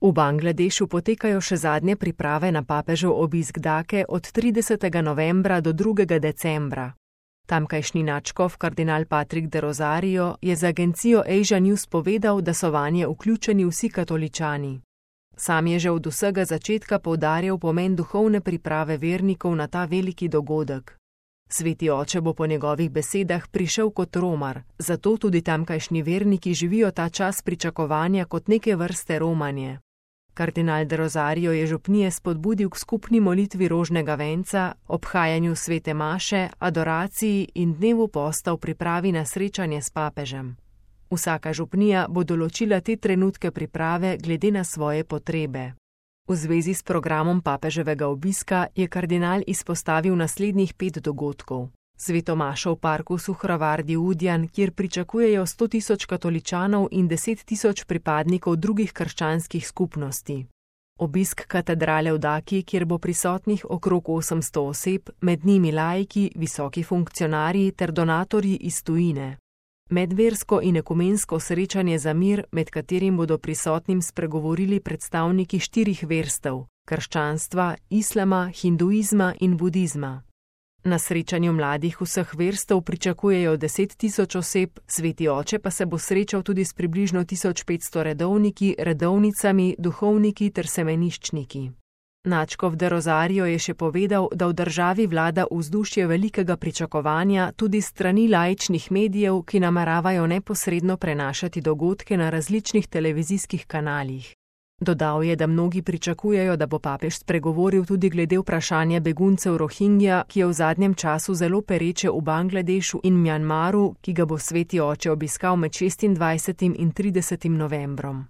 V Bangladešu potekajo še zadnje priprave na papežev obisk Dake od 30. novembra do 2. decembra. Tamkajšnji nadškof kardinal Patrick de Rosario je za agencijo Asia News povedal, da so vanje vključeni vsi katoličani. Sam je že od vsega začetka poudarjal pomen duhovne priprave vernikov na ta veliki dogodek. Sveti oče bo po njegovih besedah prišel kot romar, zato tudi tamkajšnji verniki živijo ta čas pričakovanja kot neke vrste romanje. Kardinal de Rosario je župnije spodbudil k skupni molitvi rožnega venca, obhajanju svete maše, adoraciji in dnevu posta v pripravi na srečanje s papežem. Vsaka župnija bo določila te trenutke priprave glede na svoje potrebe. V zvezi s programom papeževega obiska je kardinal izpostavil naslednjih 5 dogodkov. Sveto mašo v parku Suhravardi Udjan, kjer pričakujejo 100.000 katoličanov in 10.000 pripadnikov drugih krščanskih skupnosti. Obisk katedrale v Daki, kjer bo prisotnih okrog 800 oseb, med njimi laiki, visoki funkcionarji ter donatorji iz tujine. Medversko in ekumensko srečanje za mir, med katerim bodo prisotnim spregovorili predstavniki 4 verstev: krščanstva, islama, hinduizma in budizma. Na srečanju mladih vseh verstev pričakujejo 10.000 oseb, sveti oče pa se bo srečal tudi s približno 1500 redovniki, redovnicami, duhovniki ter semeniščniki. Nadškof de Rosario je še povedal, da v državi vlada vzdušje velikega pričakovanja tudi strani laičnih medijev, ki nameravajo neposredno prenašati dogodke na različnih televizijskih kanalih. Dodal je, da mnogi pričakujejo, da bo papež spregovoril tudi glede vprašanja beguncev Rohingja, ki je v zadnjem času zelo pereče v Bangladešu in Mjanmaru, ki ga bo sveti oče obiskal med 26. in 30. novembrom.